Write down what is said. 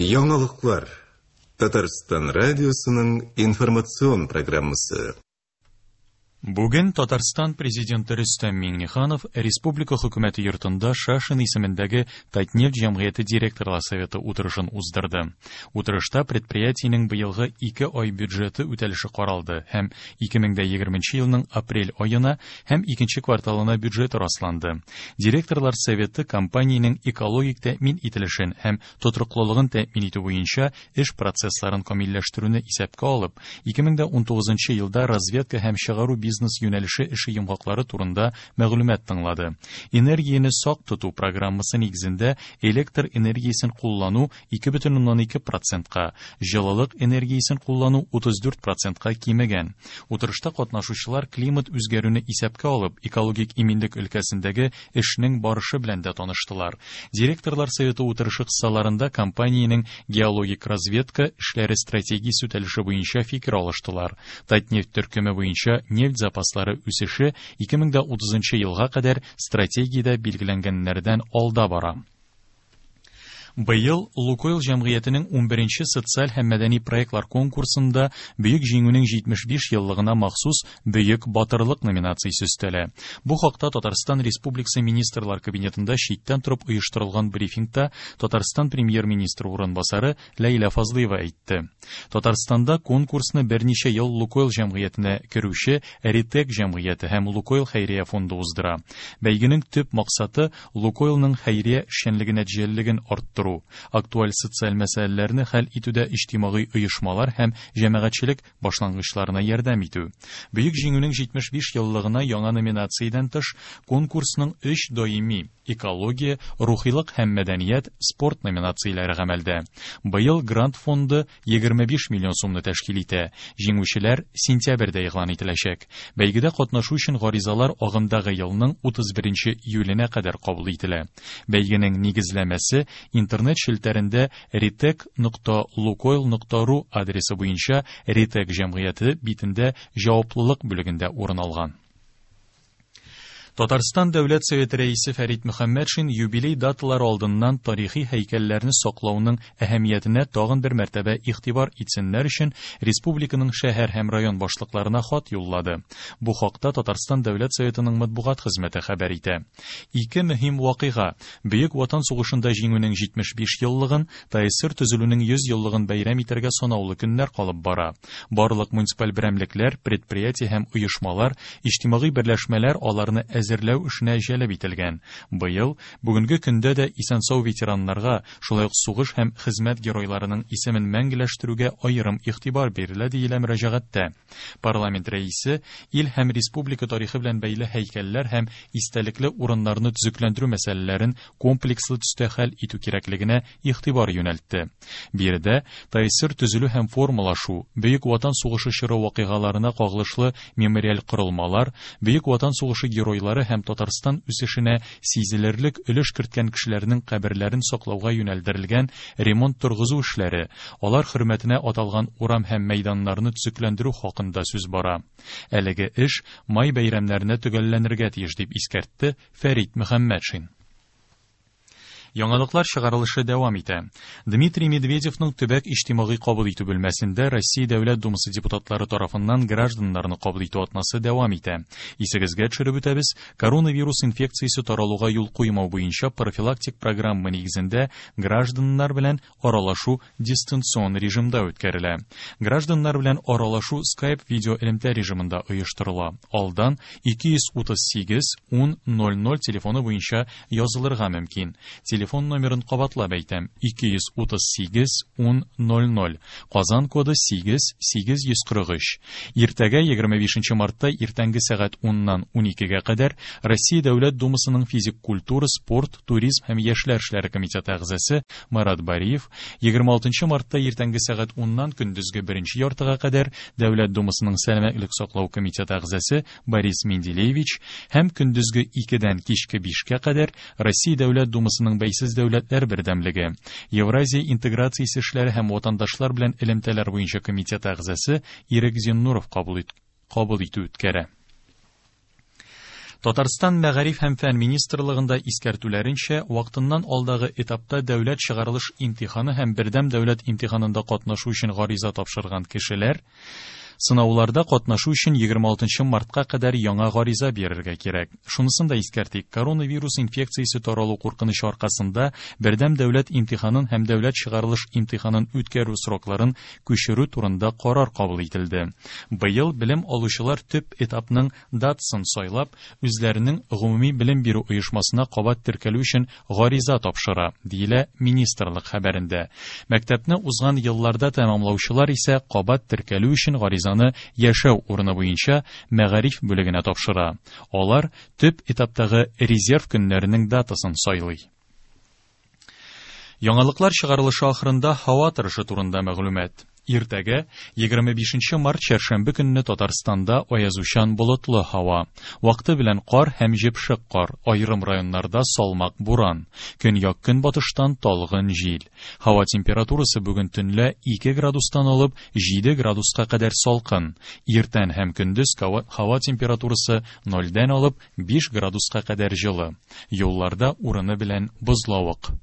Яңалыклар. Татарстан радиосының информацион программасы. Бүген Татарстан Президенты Рөстәм Миңнеханов Республика Хөкүмәте йортында Шашин исемендәге Татнефть җәмгыяте директорлар советы утырышын уздырды. Утырышта предприятиенең быелгы ике ай бюджеты үтәлеше каралды һәм 2020 елның апрель аена һәм икенче кварталына бюджеты расланды. Директорлар советы компаниянең экологик тәэмин ителешен һәм тотрыклылыгын тәэмин итү буенча эш процессларын камилләштерүне исәпкә алып, 2019 елда разведка һәм чыгару бизнес юнәлеше эше йомгаклары турында мәгълүмат тыңлады. Энергияне сак тоту программасы нигезендә электр энергиясен куллану 2,2 процентка, җылылык энергиясен куллану 34 процентка кимегән. Утырышта катнашучылар климат үзгәрүне исәпкә алып, экологик иминлек өлкәсендәге эшнең барышы белән дә таныштылар. Директорлар советы утырышы кысаларында компаниянең геологик разведка эшләре стратегиясе үтәлеше буенча фикер алыштылар. Татнефть төркеме буенча нефть запаслары үсеше 2030 елга кадәр стратегиядә билгеләнгәннәрдән алда бара. Быел Лукойл җәмгыятенең 11нче социаль һәм мәдәни проектлар конкурсында Бөек Җиңүнең 75 еллыгына махсус Бөек батырлык номинациясе өстәлә. Бу хакта Татарстан Республикасы Министрлар Кабинетында читтән торып оештырылган брифингта Татарстан премьер-министры урынбасары Ләйлә Фазлыева әйтте. Татарстанда конкурсны берничә ел Лукойл җәмгыятенә керүче Ритек җәмгыяте һәм Лукойл хәйрия фонды уздыра. Бәйгенең төп максаты Лукойлның хәйрия эшчәнлеге нәтиҗәлелеген арттыру, актуаль социаль мәсьәләләрне хәл итүдә иҗтимагый оешмалар һәм җәмәгатьчелек башлангычларына ярдәм итү. Бөек Җиңүнең 75 еллыгына яңа номинациядән тыш конкурсның өч даими экология, рухилык һәм мәдәният, спорт номинацияләре гамәлдә. Быел грант фонды 25 миллион сумны тәшкил итә. Җиңүчеләр сентябрьдә игълан ителәчәк. Бәйгедә катнашу өчен гаризалар агымдагы елның 31 июленә кадәр кабул ителә. Бәйгенең нигезләмәсе интернет челтәрендә ritec.lukoil.ru адресы буенча Ritec җәмгыяте битендә җаваплылык бүлегендә урын алган. Татарстан Дәүләт Советы рәисе Фәрит Мөхәммәтшин юбилей даталары алдыннан тарихи һәйкәлләрне саклауның әһәмиятенә тагын бер мәртәбә игътибар итсеннәр өчен республиканың шәһәр һәм район башлыкларына хат юллады. Бу хакта Татарстан Дәүләт Советының матбугат хезмәте хәбәр итә. Ике мөһим вакыйга: Бөек Ватан сугышында җиңүнең 75 еллыгын, ТАССР төзелүнең 100 еллыгын бәйрәм итәргә санаулы көннәр калып бара. Барлык муниципаль берәмлекләр, предприятие һәм оешмалар, иҗтимагый берләшмәләр аларны әзерләү эшенә җәлеп ителгән. Быел бүгенге көндә дә исән-сау ветераннарга, шулай ук сугыш һәм хезмәт геройларының исемен мәңгеләштерүгә аерым игътибар бирелә, диелә мөрәҗәгатьтә. Парламент рәисе ил һәм республика тарихы белән бәйле һәйкәлләр һәм истәлекле урыннарны төзекләндерү мәсьәләләрен комплекслы төстә хәл итү кирәклегенә игътибар юнәлтте. Биредә ТАССР төзелү һәм формалашу, Бөек Ватан сугышы чоры вакыйгаларына кагылышлы мемориаль корылмалар, Бөек Ватан сугышы геройлары һәм Татарстан үсешенә сизелерлек өлеш керткән кешеләрнең каберләрен саклауга юнәлдерелгән ремонт торгызу эшләре, алар хөрмәтенә аталган урам һәм мәйданнарны төзекләндерү хакында сүз бара. Әлеге эш май бәйрәмнәренә төгәлләнергә тиеш, дип искәртте Фәрит Мөхәммәтшин. Яңалыклар чыгарылышы дәвам итә. Дмитрий Медведевның төбәк иҗтимагый кабул итү бүлмәсендә Россия Дәүләт Думасы депутатлары тарафыннан гражданнарны кабул итү атнасы дәвам итә. Исегезгә төшереп үтәбез, коронавирус инфекциясе таралуга юл куймау буенча профилактик программа нигезендә гражданнар белән аралашу дистанцион режимда үткәрелә. Гражданнар белән аралашу Skype видео элемтә режимында оештырыла. Алдан 238 10 00 телефоны буенча язылырга мөмкин. Телефон номерын кабатлап әйтәм: 238 10 00. Казан коды 8 843. Иртәгә 25 мартта иртәнге сәгать 10-нан 12-гә кадәр Россия Дәүләт Думасының физик культура, спорт, туризм һәм яшьләр эшләре комитеты әгъзасы Марат Бариев, 26 мартта иртәнге сәгать 10-нан көндезге беренче яртыга кадәр Дәүләт Думасының сәламәтлек саклау комитеты әгъзасы Борис Менделеевич һәм көндезге 2-дән кичке 5-кә кадәр Россия Дәүләт Думасының бәйсез дәүләтләр бердәмлеге, Евразия интеграциясе эшләре һәм ватандашлар белән элемтәләр буенча комитеты әгъзасы Ирек Зиннуров кабул итү үткәрә. Татарстан Мәгариф һәм фән министрлыгында искәртүләренчә, вакытыннан алдагы этапта дәүләт чыгарылыш имтиханы һәм бердәм дәүләт имтиханында катнашу өчен гариза тапшырган кешеләр сынауларда катнашу өчен 26 мартка кадәр яңа гариза бирергә кирәк. Шунысын да искәртик, коронавирус инфекциясе таралу куркынычы аркасында бердәм дәүләт имтиханын һәм дәүләт чыгарылыш имтиханын үткәрү срокларын күчерү турында карар кабул ителде. Быел белем алучылар төп этапның датасын сайлап, үзләренең гомуми белем бирү оешмасына кабат теркәлү өчен гариза тапшыра, диелә министрлык хәбәрендә. Мәктәпне узган елларда тәмамлаучылар исә кабат теркәлү өчен гаризаны яшәү урыны буенча мәгариф бүлегенә тапшыра. Алар төп этаптагы резерв көннәренең датасын сайлый. Яңалыклар чыгарылышы ахырында һава торышы турында мәгълүмат. Иртәгә 25 март чәршәмбе көнне Татарстанда аязучан болытлы һава. Вакыты белән кар һәм җепшек кар, аерым районнарда салмак буран. Көньяк көнбатыштан талгын җил. Һава температурасы бүген төнлә 2 градустан алып 7 градуска кадәр салкын. Иртән һәм көндез һава температурасы 0-дән алып 5 градуска кадәр җылы. Юлларда урыны белән бозлавык.